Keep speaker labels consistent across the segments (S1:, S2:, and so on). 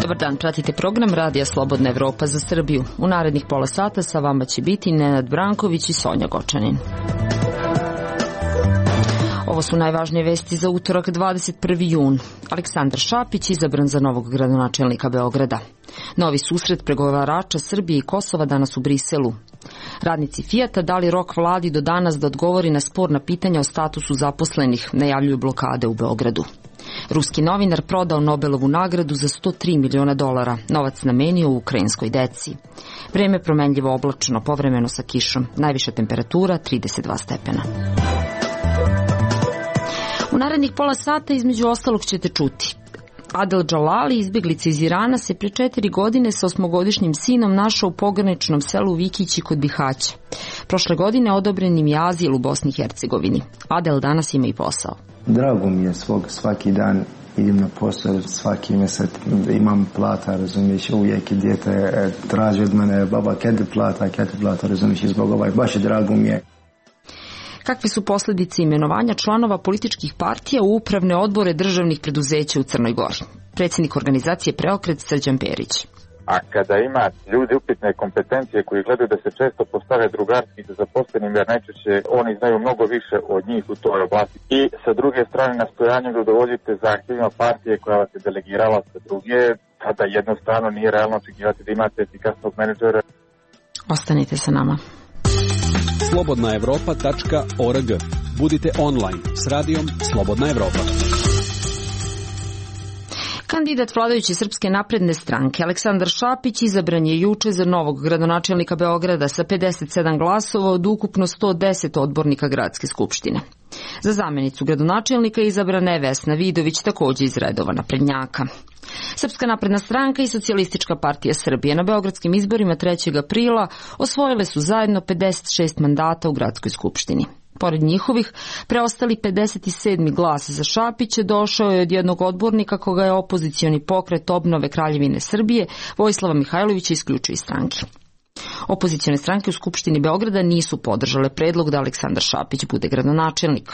S1: Dobar dan, pratite program Radija Slobodna Evropa za Srbiju. U narednih pola sata sa vama će biti Nenad Branković i Sonja Gočanin. Ovo su najvažnije vesti za utorak 21. jun. Aleksandar Šapić izabran za novog gradonačelnika Beograda. Novi susret pregovarača Srbije i Kosova danas u Briselu. Radnici Fijata dali rok vladi do danas da odgovori na sporna pitanja o statusu zaposlenih, najavljuju blokade u Beogradu. Ruski novinar prodao Nobelovu nagradu za $103 miliona, novac namenio u ukrajinskoj deci. Vreme promenljivo oblačno, povremeno sa kišom, najviša temperatura 32 stepena. U narednih pola sata između ostalog ćete čuti. Adel Džalali, izbeglica iz Irana, se pre 4 godine sa 8-godišnjim sinom našao u pograničnom selu Vikići kod Bihaća. Prošle godine odobren im je azil u Bosni i Hercegovini. Adel danas ima i posao.
S2: Drago mi je svaki dan idem na posao, svaki mjesec imam plata, razumiješ, uvijek je dijete traži od mene, baba, kada plata, razumiješ, i zbog baš je drago mi je.
S1: Kakve su posljedice imenovanja članova političkih partija u upravne odbore državnih preduzeća u Crnoj Gori? Predsjednik organizacije Preokret Srđan Perić.
S3: A kada ima ljudi upitne kompetencije koji gledaju da se često postave drugarski sa zaposlenim, jer najčešće oni znaju mnogo više od njih u toj oblasti. I sa druge strane nastojanjem da udovoljite zahtjevima partije koja vas je delegirala sa druge, tada jednostavno nije realno očekivati da imate efikasnog menadžera.
S1: Ostanite sa nama.
S4: slobodnaevropa.org. Budite online s radijom Slobodna Evropa.
S1: Kandidat vladajuće Srpske napredne stranke Aleksandar Šapić izabran je juče za novog gradonačelnika Beograda sa 57 glasova od ukupno 110 odbornika gradske skupštine. Za zamjenicu gradonačelnika izabrana je Vesna Vidović, također iz redova naprednjaka. Srpska napredna stranka i Socijalistička partija Srbije na beogradskim izborima 3. aprila osvojile su zajedno 56 mandata u gradskoj skupštini. Pored njihovih, preostali 57. glas za Šapića došao je od jednog odbornika koga je opozicioni pokret Obnove Kraljevine Srbije, Vojislava Mihajlovića, isključio iz stranke. Opozicione stranke u Skupštini Beograda nisu podržale predlog da Aleksandar Šapić bude gradonačelnik.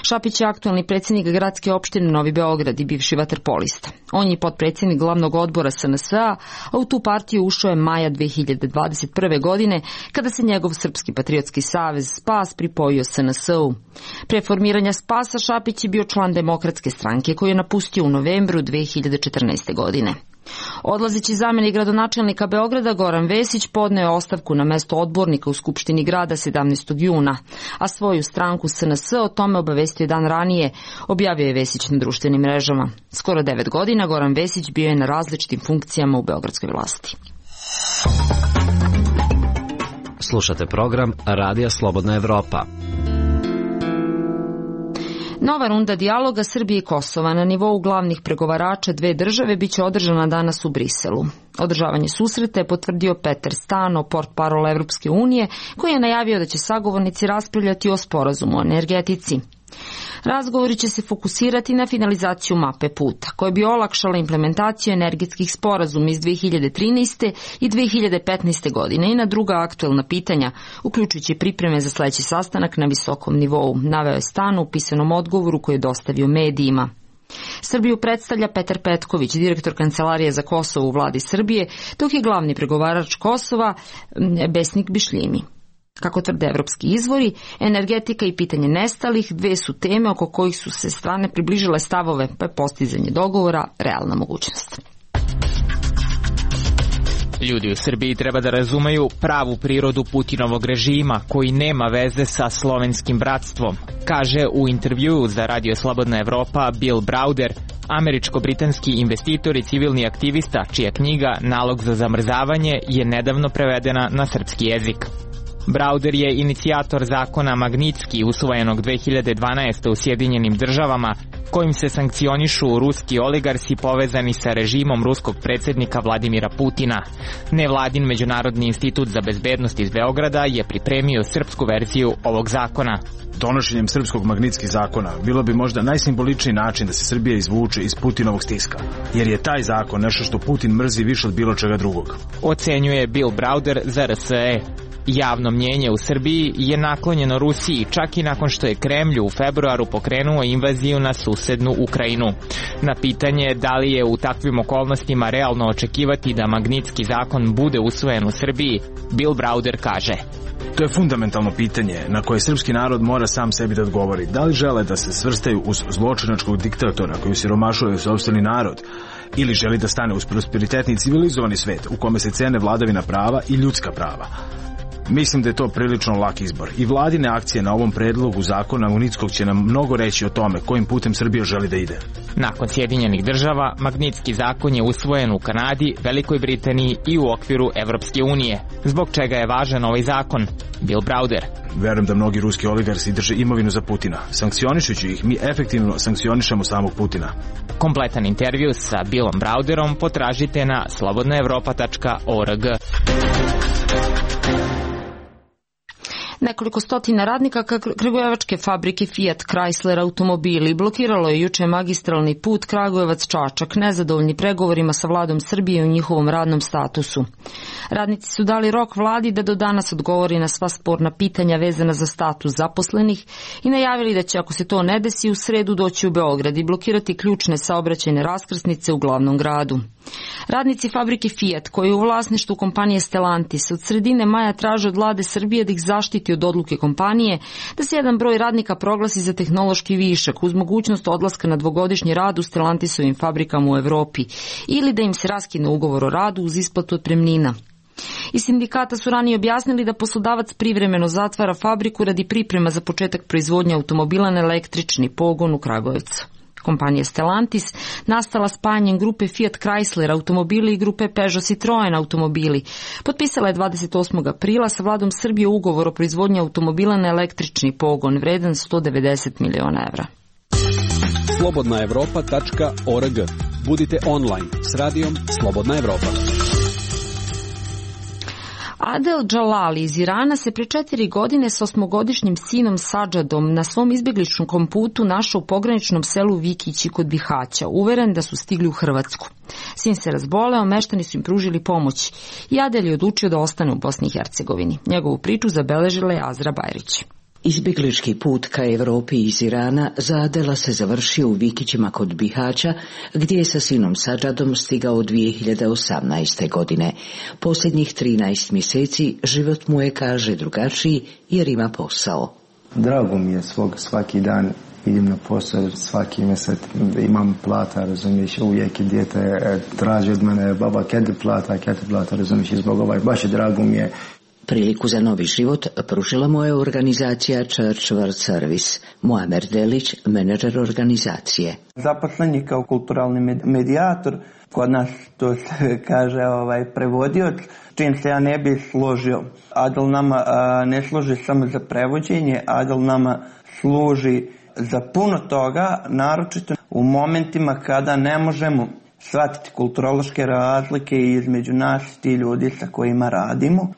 S1: Šapić je aktualni predsjednik gradske opštine Novi Beograd i bivši vaterpolista. On je potpredsjednik glavnog odbora SNS-a, a u tu partiju ušao je maja 2021. godine, kada se njegov Srpski patriotski savez Spas pripojio SNS-u. Pre formiranja Spasa Šapić je bio član Demokratske stranke koju je napustio u novembru 2014. godine. Odlazeći zamjenik gradonačelnika Beograda Goran Vesić podneo je ostavku na mesto odbornika u Skupštini grada 17. juna, a svoju stranku SNS o tome obavestio dan ranije, objavio je Vesić na društvenim mrežama. Skoro 9 godina Goran Vesić bio je na različitim funkcijama u beogradskoj vlasti.
S5: Slušate program Radija Slobodna Evropa.
S1: Nova runda dijaloga Srbije i Kosova na nivou glavnih pregovarača dve države biće održana danas u Briselu. Održavanje susreta je potvrdio Peter Stano, portparol Evropske unije, koji je najavio da će sagovornici raspravljati o sporazumu o energetici. Razgovori će se fokusirati na finalizaciju mape puta, koja bi olakšala implementaciju energetskih sporazuma iz 2013. i 2015. godine i na druga aktuelna pitanja, uključujući pripreme za sledeći sastanak na visokom nivou, naveo je Stano u pisanom odgovoru koji je dostavio medijima. Srbiju predstavlja Petar Petković, direktor Kancelarije za Kosovo u vladi Srbije, dok je glavni pregovarač Kosova Besnik Bišljimi. Kako tvrde evropski izvori, energetika i pitanje nestalih dve su teme oko kojih su se strane približile stavove, pa je postizanje dogovora realna mogućnost.
S6: Ljudi u Srbiji treba da razumeju pravu prirodu Putinovog režima, koji nema veze sa slovenskim bratstvom, kaže u intervjuu za Radio Slobodna Evropa Bill Browder, američko-britanski investitor i civilni aktivista, čija knjiga Nalog za zamrzavanje je nedavno prevedena na srpski jezik. Browder je inicijator zakona Magnitski, usvojenog 2012. u Sjedinjenim državama, kojim se sankcionišu ruski oligarsi povezani sa režimom ruskog predsjednika Vladimira Putina. Nevladin Međunarodni institut za bezbednost iz Beograda je pripremio srpsku verziju ovog zakona.
S7: Donošenjem srpskog Magnitski zakona bilo bi možda najsimboličniji način da se Srbija izvuče iz Putinovog stiska, jer je taj zakon nešto što Putin mrzi više od bilo čega drugog.
S6: Ocenjuje Bill Browder za RSE. Javno mnjenje u Srbiji je naklonjeno Rusiji, čak i nakon što je Kremlj u februaru pokrenuo invaziju na susednu Ukrajinu. Na pitanje da li je u takvim okolnostima realno očekivati da Magnitski zakon bude usvojen u Srbiji, Bill Browder kaže:
S7: To je fundamentalno pitanje na koje srpski narod mora sam sebi da odgovori. Da li žele da se svrstaju uz zločinačkog diktatora koji siromašuje sopstveni narod, ili želi da stane uz prosperitetni i civilizovani svet u kome se cene vladavina prava i ljudska prava? Mislim da je to prilično lak izbor i vladine akcije na ovom predlogu zakona Magnitskog će nam mnogo reći o tome kojim putem Srbija želi da ide.
S6: Nakon Sjedinjenih država, Magnitski zakon je usvojen u Kanadi, Velikoj Britaniji i u okviru Evropske unije. Zbog čega je važan ovaj zakon? Bill Browder:
S7: Verujem da mnogi ruski oligarsi drže imovinu za Putina. Sankcionišući ih, mi efektivno sankcionišemo samog Putina.
S6: Kompletan intervju sa Billom Browderom potražite na slobodnaevropa.org.
S1: Nekoliko stotina radnika kragujevačke fabrike Fiat Chrysler automobili blokiralo je juče magistralni put Kragujevac-Čačak, nezadovoljni pregovorima sa vladom Srbije u njihovom radnom statusu. Radnici su dali rok vladi da do danas odgovori na sva sporna pitanja vezana za status zaposlenih i najavili da će, ako se to ne desi, u sredu doći u Beograd i blokirati ključne saobraćajne raskrsnice u glavnom gradu. Radnici fabrike Fiat, koji je u vlasništvu kompanije Stellantis, od sredine maja traže od vlade Srbije da ih zaštiti od odluke kompanije da se jedan broj radnika proglasi za tehnološki višak uz mogućnost odlaska na dvogodišnji rad u Stellantisovim fabrikama u Evropi ili da im se raskine ugovor o radu uz isplatu otpremnina. Iz sindikata su ranije objasnili da poslodavac privremeno zatvara fabriku radi priprema za početak proizvodnje automobila na električni pogon u Kragujevcu. Kompanija Stellantis, nastala spajanjem grupe Fiat Chrysler automobili i grupe Peugeot Citroen automobili, potpisala je 28. aprila sa vladom Srbije ugovor o proizvodnji automobila na električni pogon vredan 190 miliona evra.
S4: Slobodnaevropa.org. Budite online s radijom Slobodna Evropa.
S1: Adel Džalali iz Irana se pre 4 godine s 8-godišnjim sinom Sadžadom na svom izbjegličkom putu našao u pograničnom selu Vikići kod Bihaća, uveren da su stigli u Hrvatsku. Sin se razboleo, meštani su im pružili pomoć i Adel je odlučio da ostane u Bosni i Hercegovini. Njegovu priču zabeležila je Azra Bajrić.
S8: Izbjeglički put ka Evropi iz Irana za Adela se završio u Vikićima kod Bihaća, gdje je sa sinom Sadžadom stigao 2018. godine. Posljednjih 13 mjeseci život mu je, kaže, drugačiji jer ima posao.
S2: Drago mi je svaki dan idem na posao, svaki mjesec imam plata, razumiješ, uvijek dijete traži od mene, baba, kada plata, razumiješ, i zbog baš je drago mi je.
S8: Priliku za novi život pružila mu je organizacija Church World Service. Muamer Delić, menadžer organizacije.
S9: Zaposlen je kao kulturalni medijator, kod nas to se kaže prevodioc, čim se ja ne bi složio. Adel nama ne služi samo za prevođenje, Adel nama služi za puno toga, naročito u momentima kada ne možemo shvatiti kulturološke razlike između nas i ti ljudi sa kojima radimo.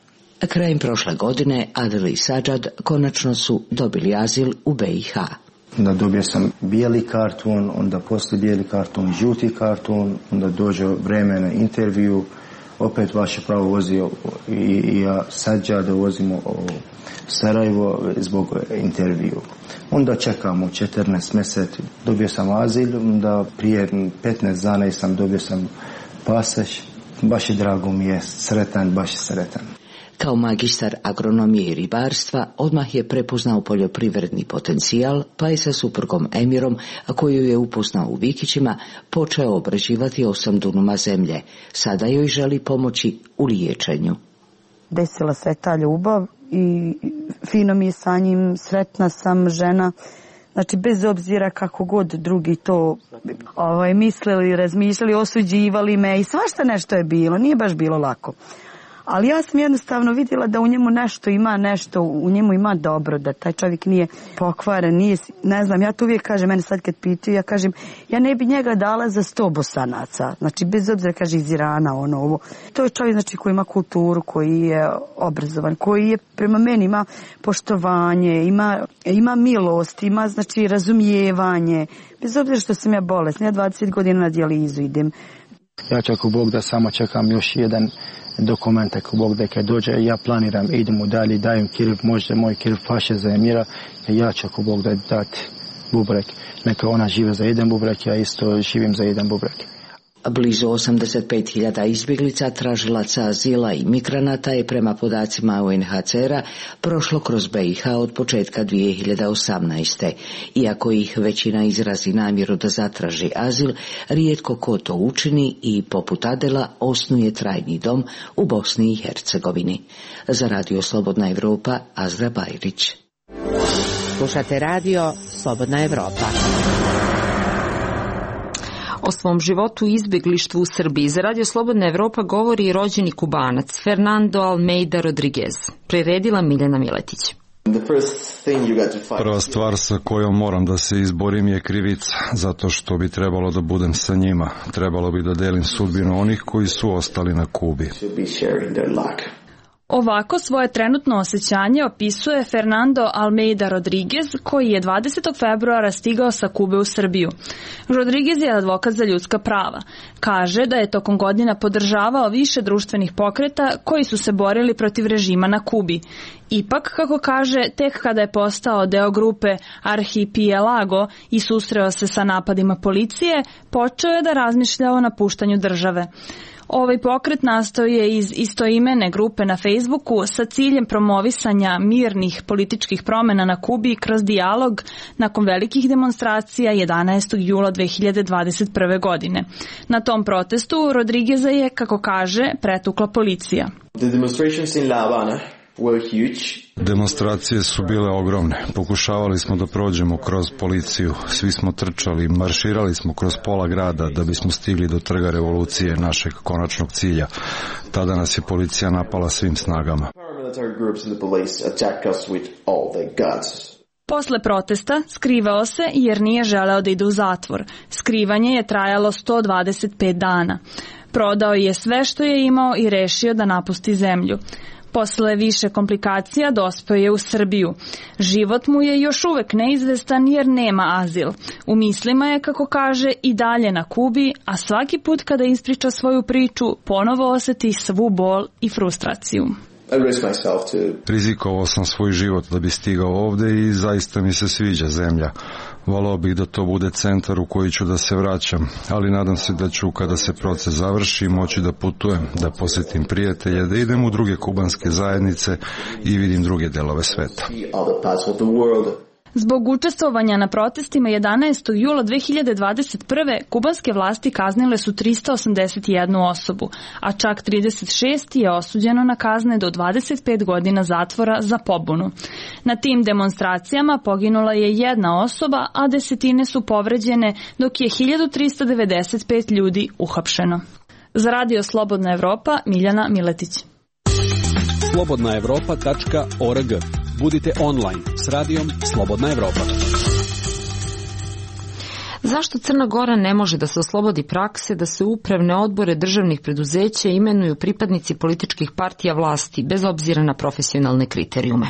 S8: Krajem prošle godine Adel i Sadžad konačno su dobili azil u BiH.
S2: Onda dobio sam bijeli karton, onda poslije bijeli karton, žuti karton, onda dođe vreme na intervju, opet vaše pravo vozio i ja Sadžada vozimo u Sarajevo zbog intervju. Onda čekamo 14 mjeseci, dobio sam azil, onda prije 15 dana sam dobio sam pasoš, baš je drago mi je, baš je sretan.
S8: Kao magistar agronomije i ribarstva odmah je prepoznao poljoprivredni potencijal, pa je sa suprugom Emirom, koju je upoznao u Vikićima, počeo obrađivati 8 dunuma zemlje. Sada joj želi pomoći u liječenju.
S10: Desila se ta ljubav i fino mi je sa njim, sretna sam žena. Znači, bez obzira kako god drugi to mislili, razmišljali, osuđivali me i svašta nešto je bilo, nije baš bilo lako. Ali ja sam jednostavno vidjela da u njemu nešto u njemu ima dobro, da taj čovjek nije pokvaren, nije, ne znam, ja to uvijek kažem, mene sad kad pitaju, ja kažem, ja ne bi njega dala za 100 Bosanaca, znači bez obzira, kaže, iz Irana, ovo. To je čovjek, znači, koji ima kulturu, koji je obrazovan, koji je prema meni ima poštovanje, ima milost, ima, znači, razumijevanje, bez obzira što sam ja bolesna, ja 20 godina na dijalizu idem.
S2: Ja ću ako Bog da samo čekam još jedan dokument ako Bog da kad dođe, ja planiram, idemo dalje, dajem kirv, možda moj kirv paše za emira, ja ću ako Bog da dati bubrek. Neka ona žive za jedan bubrek, ja isto živim za jedan bubrek.
S8: Blizu 85.000 izbjeglica, tražilaca azila i migranata je prema podacima UNHCR-a prošlo kroz BiH od početka 2018. Iako ih većina izrazi namjeru da zatraži azil, rijetko ko to učini i poput Adela osnuje trajni dom u Bosni i Hercegovini. Za Radio Slobodna Evropa, Azra Bajrić.
S11: Slušate radio Slobodna Evropa.
S1: O svom životu i izbjeglištvu u Srbiji za Radio Slobodna Evropa govori i rođeni Kubanac Fernando Almeida Rodriguez. Priredila Miljana Miletić.
S12: Prva stvar sa kojom moram da se izborim je krivica, zato što bi trebalo da budem sa njima. Trebalo bi da delim sudbinu onih koji su ostali na Kubi.
S13: Ovako svoje trenutno osjećanje opisuje Fernando Almeida Rodriguez, koji je 20. februara stigao sa Kube u Srbiju. Rodriguez je advokat za ljudska prava. Kaže da je tokom godina podržavao više društvenih pokreta koji su se borili protiv režima na Kubi. Ipak, kako kaže, tek kada je postao deo grupe Arhipelago i susreo se sa napadima policije, počeo je da razmišlja o napuštanju države. Ovaj pokret nastao je iz istoimene grupe na Facebooku sa ciljem promovisanja mirnih političkih promjena na Kubi kroz dijalog nakon velikih demonstracija 11. jula 2021. godine. Na tom protestu Rodrigueza je, kako kaže, pretukla policija.
S12: Demonstracije su bile ogromne. Pokušavali smo da prođemo kroz policiju. Svi smo trčali, marširali smo kroz pola grada da bismo stigli do trga revolucije, našeg konačnog cilja. Tada nas je policija napala svim snagama.
S13: Posle protesta skrivao se jer nije želeo da ide u zatvor. Skrivanje je trajalo 125 dana. Prodao je sve što je imao i rešio da napusti zemlju. Posle više komplikacija dospeo je u Srbiju. Život mu je još uvek neizvestan jer nema azil. U mislima je, kako kaže, i dalje na Kubi, a svaki put kada ispriča svoju priču, ponovo osjeti svu bol i frustraciju.
S12: Rizikovao sam svoj život da bi stigao ovde i zaista mi se sviđa zemlja. Volao bih da to bude centar u koji ću da se vraćam, ali nadam se da ću, kada se proces završi, moći da putujem, da posjetim prijatelje, da idem u druge kubanske zajednice i vidim druge delove sveta.
S13: Zbog učestvovanja na protestima 11. jula 2021. kubanske vlasti kaznile su 381 osobu, a čak 36 je osuđeno na kazne do 25 godina zatvora za pobunu. Na tim demonstracijama poginula je jedna osoba, a desetine su povređene, dok je 1395 ljudi uhapšeno. Za Radio Slobodna Evropa, Miljana Miletić.
S4: slobodnaevropa.org. Budite online s radijom Slobodna Evropa.
S1: Zašto Crna Gora ne može da se oslobodi prakse da se upravne odbore državnih preduzeća imenuju pripadnici političkih partija vlasti, bez obzira na profesionalne kriterijume?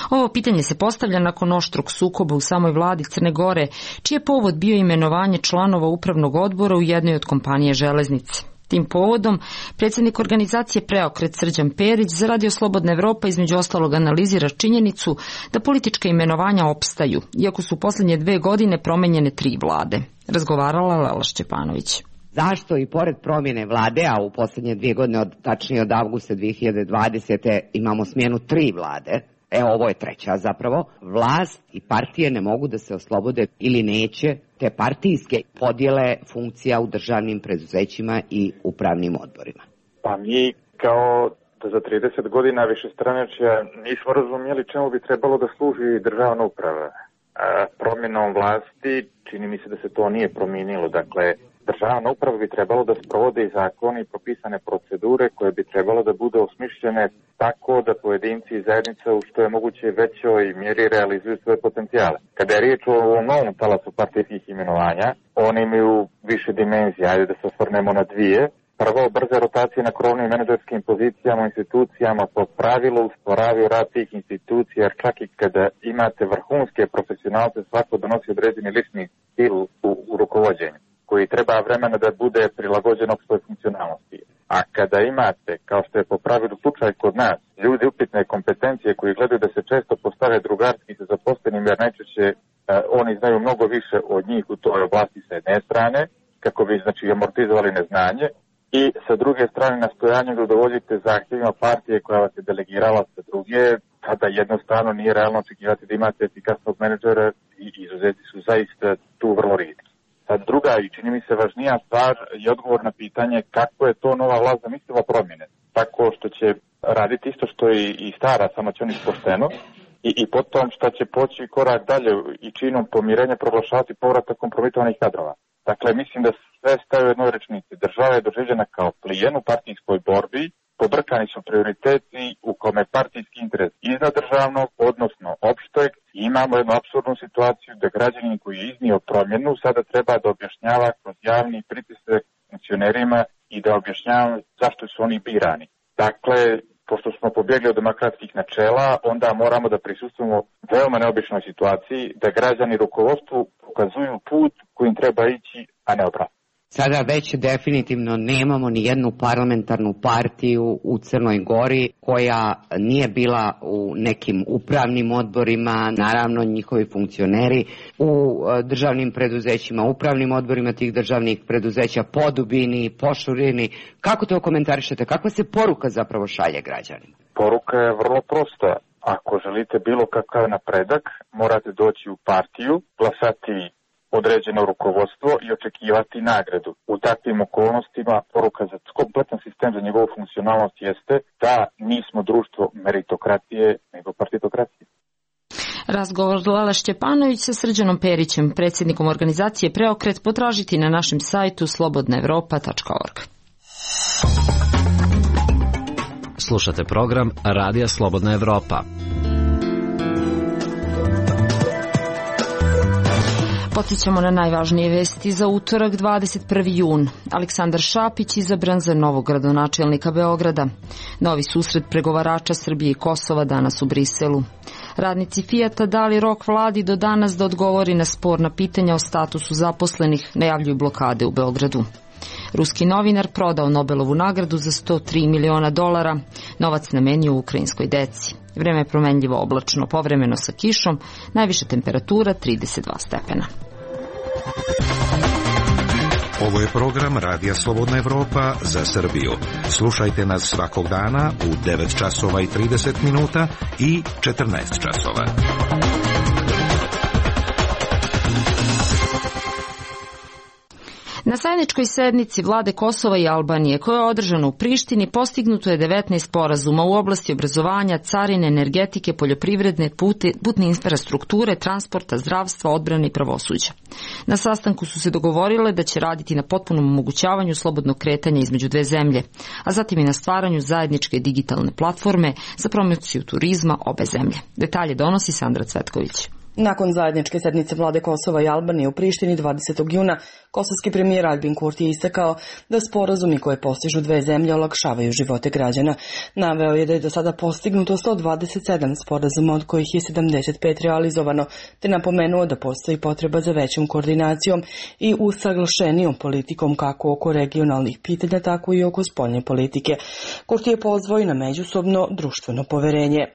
S1: Ovo pitanje se postavlja nakon oštrog sukoba u samoj vladi Crne Gore, čiji je povod bio imenovanje članova upravnog odbora u jednoj od kompanije Železnice. Tim povodom, predsjednik organizacije Preokret Srđan Perić za Radio Slobodna Evropa između ostalog analizira činjenicu da politička imenovanja opstaju, iako su u posljednje 2 godine promenjene 3 vlade. Razgovarala Lela Šćepanović.
S11: Zašto i pored promjene vlade, a u posljednje 2 godine, tačnije od avgusta 2020. imamo smjenu 3 vlade, ovo je 3. zapravo, vlast i partije ne mogu da se oslobode ili neće te partijske podjele funkcija u državnim preduzećima i upravnim odborima.
S3: Pa mi kao da za 30 godina višestranačja nismo razumjeli čemu bi trebalo da služi državna uprava. Promjenom vlasti čini mi se da se to nije promijenilo. Dakle, državna uprava bi trebalo da sprovode i zakoni i propisane procedure koje bi trebalo da bude osmišljene tako da pojedinci i zajednica u što je moguće većoj mjeri realizuju svoje potencijale. Kada je riječ o novom talasu partijskih imenovanja, oni imaju više dimenzija, ajde da se osvrnemo na 2. Prvo, brze rotacije na krovnim menadžerskim pozicijama u institucijama po pravilu usporavaju rad tih institucija, jer čak i kada imate vrhunske profesionalce, svako donosi određeni lični stil u rukovođenju. koji treba vremena da bude prilagođen opštoj funkcionalnosti. A kada imate, kao što je po pravilu slučaj kod nas, ljudi upitne kompetencije koji gledaju da se često postave drugarski sa zaposlenim, jer najčešće oni znaju mnogo više od njih u toj oblasti sa jedne strane, kako bi znači amortizovali neznanje, i sa druge strane nastojanjem da udovoljite zahtjevima partije koja vas je delegirala sa druge, tada jednostavno nije realno očekivati da imate efikasnog menadžera i izuzeti su zaista tu vrlo rijetki. Sad druga i čini mi se važnija stvar je odgovor na pitanje kako je to nova vlast zamislila promjene. Tako što će raditi isto što i stara, samo će oni pošteno, i potom što će poći korak dalje i činom pomirenja proglašavati povratak kompromitovanih kadrova. Dakle, mislim da sve staje u jednoj rečnici. Država je doživljena kao plijen u partijskoj borbi, pobrkani su prioriteti u kome partijski interes iznad državnog, odnosno opšteg, i imamo jednu apsurdnu situaciju da građanin koji je iznio promjenu sada treba da objašnjava kroz javni pritisak funkcionerima i da objašnjava zašto su oni birani. Dakle, pošto smo pobjegli od demokratskih načela, onda moramo da prisustujemo veoma neobičnoj situaciji da građani rukovodstvu pokazuju put kojim treba ići, a ne obratno.
S11: Sada već definitivno nemamo ni jednu parlamentarnu partiju u Crnoj Gori koja nije bila u nekim upravnim odborima, naravno njihovi funkcioneri u državnim preduzećima, upravnim odborima tih državnih preduzeća, po dubini, po šurini. Kako to komentarišete? Kakva se poruka zapravo šalje građanima?
S3: Poruka je vrlo prosta. Ako želite bilo kakav napredak, morate doći u partiju, glasati određeno rukovodstvo i očekivati nagradu. U takvim okolnostima poruka za kompletan sistem, za njegovu funkcionalnost jeste da nismo društvo meritokratije, nego partitokracije.
S1: Razgovor Lala Šćepanović sa Srđanom Perićem, predsjednikom organizacije Preokret, potražiti na našem sajtu slobodnaevropa.org.
S5: Slušate program Radija Slobodna Evropa.
S1: Podsjećamo na najvažnije vesti za utorak 21. jun. Aleksandar Šapić izabran za novog gradonačelnika Beograda. Novi susret pregovarača Srbije i Kosova danas u Briselu. Radnici Fijata dali rok vladi do danas da odgovori na sporna pitanja o statusu zaposlenih, najavljuju blokade u Beogradu. Ruski novinar prodao Nobelovu nagradu za $103 miliona, novac namenio ukrajinskoj deci. Vreme je promenljivo oblačno, povremeno sa kišom, najviša temperatura 32 stepena.
S14: Ovo je program Radija Slobodna Evropa za Srbiju. Slušajte nas svakog dana u 9 časova i 30 minuta i 14 časova.
S1: Na zajedničkoj sednici vlade Kosova i Albanije, koja je održana u Prištini, postignuto je 19 sporazuma u oblasti obrazovanja, carine, energetike, poljoprivredne, putne infrastrukture, transporta, zdravstva, odbrane i pravosuđa. Na sastanku su se dogovorile da će raditi na potpunom omogućavanju slobodnog kretanja između dve zemlje, a zatim i na stvaranju zajedničke digitalne platforme za promociju turizma obe zemlje. Detalje donosi Sandra Cvetković.
S15: Nakon zajedničke sednice vlade Kosova i Albanije u Prištini 20. juna, kosovski premijer Albin Kurti je istakao da sporazumi koje postižu dve zemlje olakšavaju živote građana. Naveo je da je do sada postignuto 127 sporazuma, od kojih je 75 realizovano, te napomenuo da postoji potreba za većom koordinacijom i usaglašenijom politikom kako oko regionalnih pitanja, tako i oko spoljne politike. Kurti je pozvao i na međusobno društveno poverenje.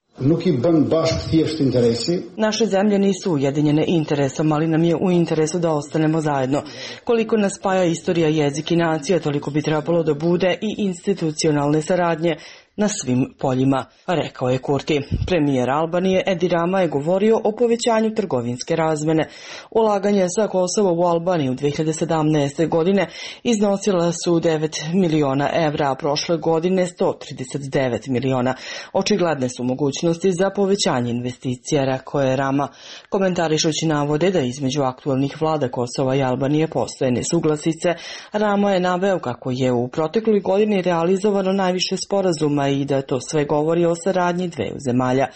S15: Naše zemlje nisu ujedinjene interesom, ali nam je u interesu da ostanemo zajedno. Koliko nas spaja istorija, jezik i nacija, toliko bi trebalo da bude i institucionalne saradnje na svim poljima, rekao je Kurti. Premijer Albanije Edi Rama je govorio o povećanju trgovinske razmene. Ulaganje sa Kosova u Albaniju 2017. godine iznosila su 9 miliona evra, a prošle godine 139 miliona. Očigledne su mogućnosti za povećanje investicija, rekao je Rama. Komentarišući navode da između aktualnih vlada Kosova i Albanije postoje nesuglasice, Rama je naveo kako je u protekloj godini realizovano najviše sporazuma a i da to sve govori o saradnji dveju zemalja.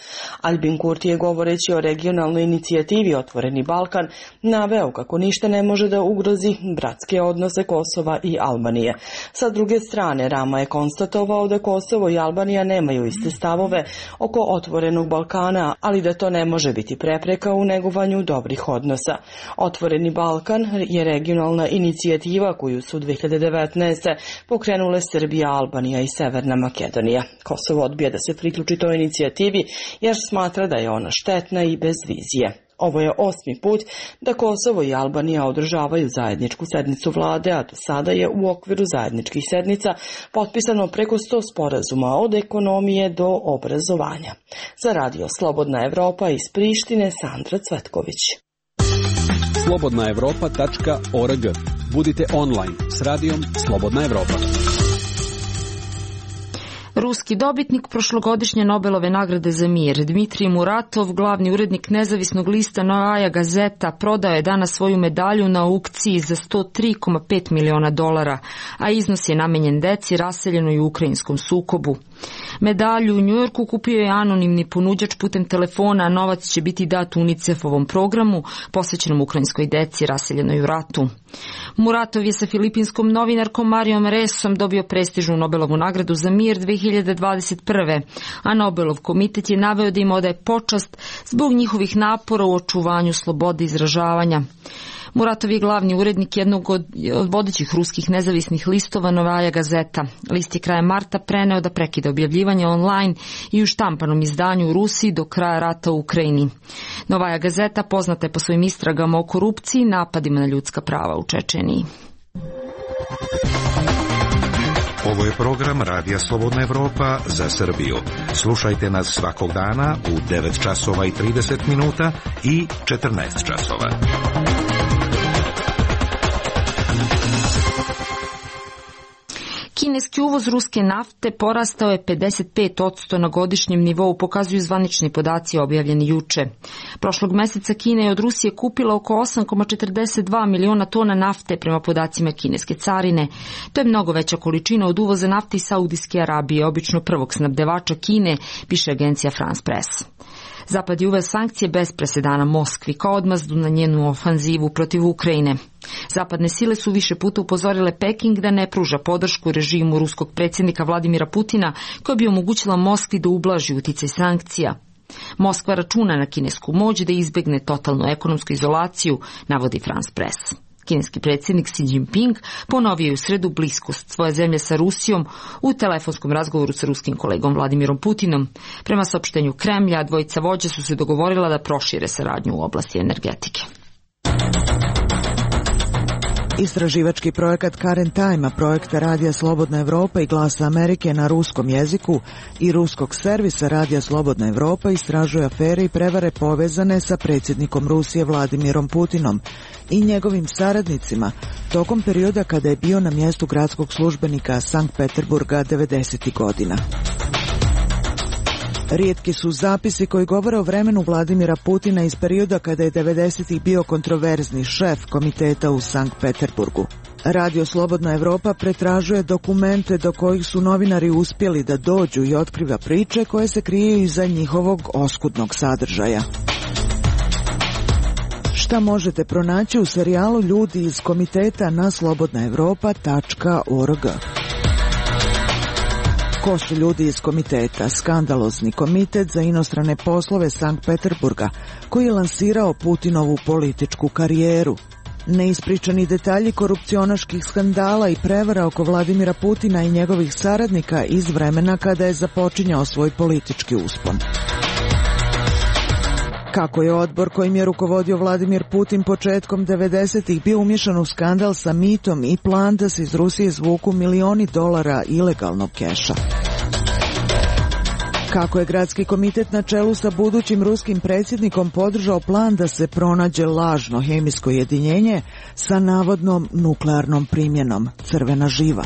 S15: Albin Kurti je govoreći o regionalnoj inicijativi Otvoreni Balkan naveo kako ništa ne može da ugrozi bratske odnose Kosova i Albanije. Sa druge strane, Rama je konstatovao da Kosovo i Albanija nemaju iste stavove oko Otvorenog Balkana, ali da to ne može biti prepreka u negovanju dobrih odnosa. Otvoreni Balkan je regionalna inicijativa koju su 2019. pokrenule Srbija, Albanija i Severna Makedonija. Kosovo odbija da se priključi toj inicijativi jer smatra da je ona štetna i bez vizije. Ovo je 8. put da Kosovo i Albanija održavaju zajedničku sednicu vlade, a do sada je u okviru zajedničkih sednica potpisano preko 100 sporazuma od ekonomije do obrazovanja. Za Radio Slobodna Evropa iz Prištine, Sandra Cvetković.
S4: slobodnaevropa.org. Budite online s radijom Slobodna Evropa.
S1: Ruski dobitnik prošlogodišnje Nobelove nagrade za mir, Dmitrij Muratov, glavni urednik nezavisnog lista Novaja Gazeta, prodao je danas svoju medalju na aukciji za $103,5 miliona, a iznos je namenjen deci raseljenoj u ukrajinskom sukobu. Medalju u Njujorku kupio je anonimni ponuđač putem telefona, a novac će biti dat UNICEF-ovom programu posvećenom ukrajinskoj deci raseljenoj u ratu. Muratov je sa filipinskom novinarkom Marijom Resom dobio prestižnu Nobelovu nagradu za mir 2021. A Nobelov komitet je naveo da im odaje počast zbog njihovih napora u očuvanju slobode izražavanja. Muratov je glavni urednik jednog od vodećih ruskih nezavisnih listova Novaja Gazeta. List je krajem marta preneo da prekida objavljivanje online i u štampanom izdanju u Rusiji do kraja rata u Ukrajini. Novaja Gazeta poznata je po svojim istragama o korupciji i napadima na ljudska prava u Čečeniji.
S14: Ovo je program Radija Slobodna Evropa za Srbiju. Slušajte nas svakog dana u 9 časova i 30 minuta i 14 časova.
S1: Kineski uvoz ruske nafte porastao je 55% na godišnjem nivou, pokazuju zvanični podaci objavljeni juče. Prošlog meseca Kina je od Rusije kupila oko 8,42 miliona tona nafte prema podacima kineske carine. To je mnogo veća količina od uvoza nafte iz Saudijske Arabije, obično prvog snabdevača Kine, piše agencija France Press. Zapad je uveo sankcije bez presedana Moskvi kao odmazdu na njenu ofanzivu protiv Ukrajine. Zapadne sile su više puta upozorile Peking da ne pruža podršku režimu ruskog predsjednika Vladimira Putina, koja bi omogućila Moskvi da ublaži uticaj sankcija. Moskva računa na kinesku moć da izbegne totalnu ekonomsku izolaciju, navodi France Press. Kineski predsjednik Xi Jinping ponovio je u sredu bliskost svoje zemlje sa Rusijom u telefonskom razgovoru sa ruskim kolegom Vladimirom Putinom. Prema saopštenju Kremlja, dvojica vođa su se dogovorila da prošire saradnju u oblasti energetike.
S16: Istraživački projekat Current Time, projekta Radija Slobodna Evropa i Glasa Amerike na ruskom jeziku i ruskog servisa Radija Slobodna Evropa istražuje afere i prevare povezane sa predsjednikom Rusije Vladimirom Putinom i njegovim saradnicima tokom perioda kada je bio na mjestu gradskog službenika Sankt Peterburga 90. godina. Rijetki su zapisi koji govore o vremenu Vladimira Putina iz perioda kada je 90. bio kontroverzni šef komiteta u Sankt Peterburgu. Radio Slobodna Evropa pretražuje dokumente do kojih su novinari uspjeli da dođu i otkriva priče koje se kriju iza njihovog oskudnog sadržaja. Šta možete pronaći u serijalu Ljudi iz komiteta na slobodnaevropa.org. Ko su ljudi iz komiteta? Skandalozni komitet za inostrane poslove Sankt Peterburga, koji je lansirao Putinovu političku karijeru. Neispričani detalji korupcionaških skandala i prevara oko Vladimira Putina i njegovih saradnika iz vremena kada je započinjao svoj politički uspon. Kako je odbor kojim je rukovodio Vladimir Putin početkom 90-ih bio umješan u skandal sa mitom i plan da se iz Rusije izvuku milioni dolara ilegalnog keša. Kako je gradski komitet na čelu sa budućim ruskim predsjednikom podržao plan da se pronađe lažno hemijsko jedinjenje sa navodnom nuklearnom primjenom, crvena živa.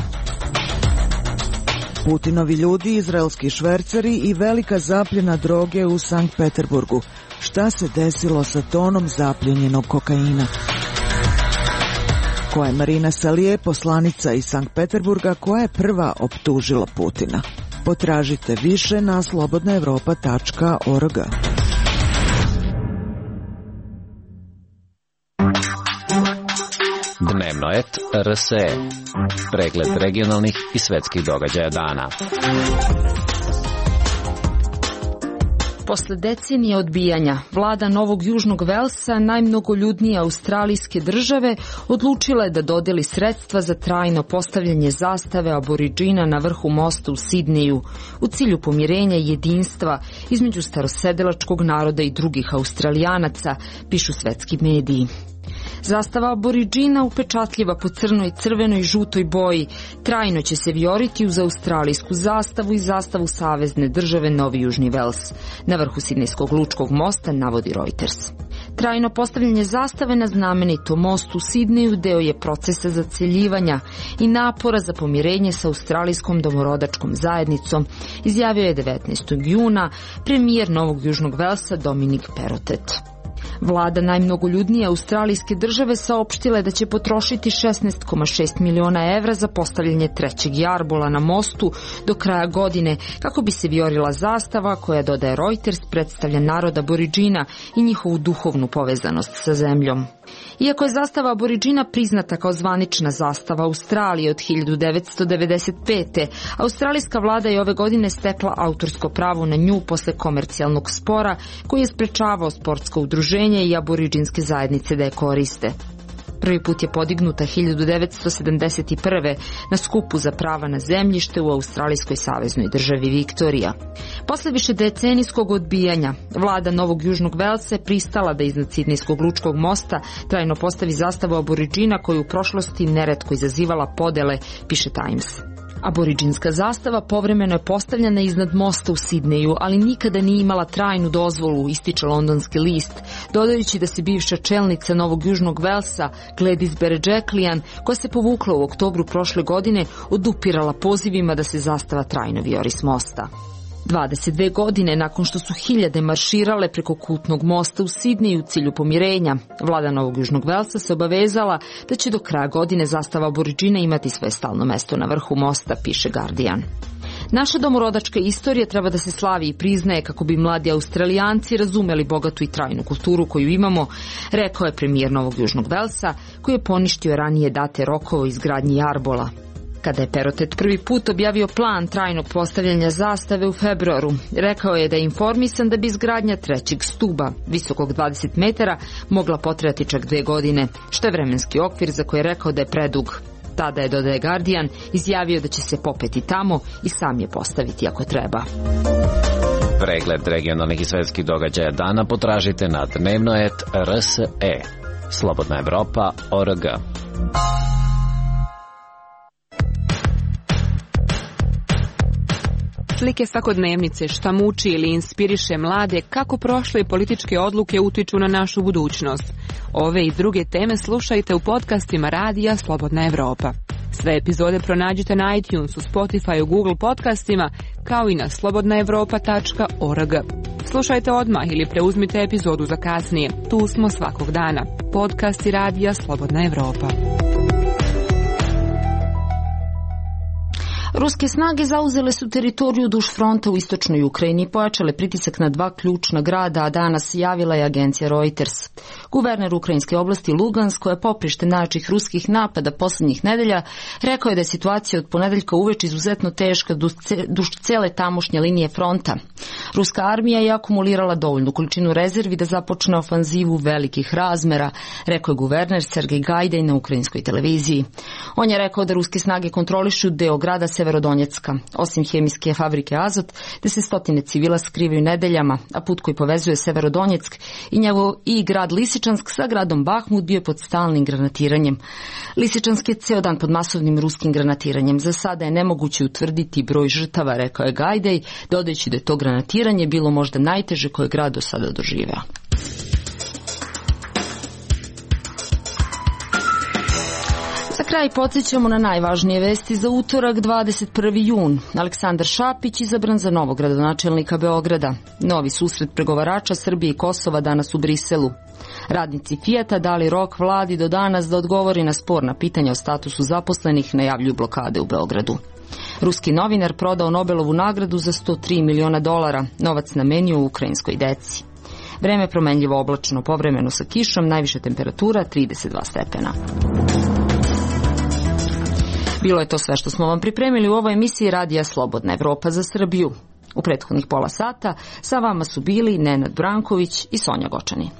S16: Putinovi ljudi, izraelski šverceri i velika zapljena droge u Sankt Peterburgu. Šta se desilo sa tonom zapljenjenog kokaina? Ko je Marina Salije, poslanica iz Sankt Peterburga, koja je prva optužila Putina? Potražite više na slobodnaevropa.org.
S5: Dnevnoet RSE. Pregled regionalnih i svetskih događaja dana.
S1: Posle decenije odbijanja, vlada Novog Južnog Velsa, najmnogoljudnije australijske države, odlučila je da dodeli sredstva za trajno postavljanje zastave Aboridžina na vrhu mosta u Sidneju u cilju pomirenja i jedinstva između starosedilačkog naroda i drugih Australijanaca, pišu svetski mediji. Zastava Aboridžina, upečatljiva po crnoj, crvenoj i žutoj boji, trajno će se vijoriti uz australijsku zastavu i zastavu savezne države Novi Južni Vels na vrhu Sidnejskog lučkog mosta, navodi Reuters. Trajno postavljanje zastave na znamenitom mostu u Sidneju deo je procesa zaceljivanja i napora za pomirenje sa australijskom domorodačkom zajednicom, izjavio je 19. juna premijer Novog Južnog Velsa Dominic Perrottet. Vlada najmnogoljudnije australijske države saopštila je da će potrošiti 16,6 miliona evra za postavljanje trećeg jarbola na mostu do kraja godine, kako bi se vijorila zastava koja, dodaje Reuters, predstavlja narod Aboridžina i njihovu duhovnu povezanost sa zemljom. Iako je zastava Aboridžina priznata kao zvanična zastava Australije od 1995. australijska vlada je ove godine stekla autorsko pravo na nju posle komercijalnog spora koji je sprečavao sportsko udruženje i aboridžinske zajednice da je koriste. Prvi put je podignuta 1971. na skupu za prava na zemljište u australijskoj saveznoj državi Viktorija. Posle višedecenijskog odbijanja, vlada Novog Južnog Velsa je pristala da iznad Sidnejskog lučkog mosta trajno postavi zastavu Aboridžina koju u prošlosti neretko izazivala podele, piše Times. Aboridžinska zastava povremeno je postavljena iznad mosta u Sidneju, ali nikada nije imala trajnu dozvolu, ističe londonski list, dodajući da se bivša čelnica Novog Južnog Velsa, Gladys Berejiklian, koja se povukla u oktobru prošle godine, odupirala pozivima da se zastava trajno vijori s mosta. 22 godine nakon što su hiljade marširale preko kultnog mosta u Sidneju u cilju pomirenja, vlada Novog Južnog Velsa se obavezala da će do kraja godine zastava Aboridžina imati svoje stalno mesto na vrhu mosta, piše Guardian. Naša domorodačka istorija treba da se slavi i priznaje kako bi mladi Australijanci razumeli bogatu i trajnu kulturu koju imamo, rekao je premijer Novog Južnog Velsa, koji je poništio ranije date rokova o izgradnji jarbola. Kada je Perrottet prvi put objavio plan trajnog postavljanja zastave u februaru, rekao je da je informisan da bi izgradnja trećeg stuba, visokog 20 metara, mogla potrajati čak 2 godine, što je vremenski okvir za koji je rekao da je predug. Tada je, dodaje Guardian, izjavio da će se popeti tamo i sam je postaviti ako treba.
S5: Pregled regionalnih i svetskih događaja dana potražite na Dnevnoet RSE. Slobodnaevropa.org.
S17: Slike svakodnevnice, šta muči ili inspiriše mlade, kako prošle političke odluke utiču na našu budućnost. Ove i druge teme slušajte u podcastima Radija Slobodna Evropa. Sve epizode pronađite na iTunesu, Spotify, Google podcastima, kao i na slobodnaevropa.org. Slušajte odmah ili preuzmite epizodu za kasnije. Tu smo svakog dana. Podcasti Radija Slobodna Evropa.
S1: Ruske snage zauzele su teritoriju duž fronta u istočnoj Ukrajini i pojačale pritisak na 2 ključna grada, a danas javila je agencija Reuters. Guverner ukrajinske oblasti Lugansk, koja je poprište najjačih ruskih napada poslednjih nedelja, rekao je da je situacija od ponedeljka uveče izuzetno teška duž cele tamošnje linije fronta. Ruska armija je akumulirala dovoljnu količinu rezervi da započne ofanzivu velikih razmera, rekao je guverner Sergej Gajdaj na ukrajinskoj televiziji. On je rekao da ruske snage kontrolišu deo grada Severodonjecka, osim hemijske fabrike Azot, gde se stotine civila skrivaju nedeljama, a put koji povezuje Severodonjeck i grad Lisičansk sa gradom Bahmut bio je pod stalnim granatiranjem. Lisičansk je ceo dan pod masovnim ruskim granatiranjem. Za sada je nemoguće utvrditi broj žrtava, rekao je Gajdaj, dodajući da je to granatiranje bilo možda najteže koje grad do sada doživeo. Za kraj podsjećamo na najvažnije vesti za utorak 21. jun. Aleksandar Šapić izabran za novog gradonačelnika Beograda. Novi susret pregovarača Srbije i Kosova danas u Briselu. Radnici Fijata dali rok vladi do danas da odgovori na sporna pitanja o statusu zaposlenih, najavljuju blokade u Beogradu. Ruski novinar prodao Nobelovu nagradu za $103 miliona, novac namenio ukrajinskoj deci. Vreme promenljivo oblačno, povremeno sa kišom, najviša temperatura 32 stepena. Bilo je to sve što smo vam pripremili u ovoj emisiji Radija Slobodna Evropa za Srbiju. U prethodnih pola sata sa vama su bili Nenad Branković i Sonja Gočani.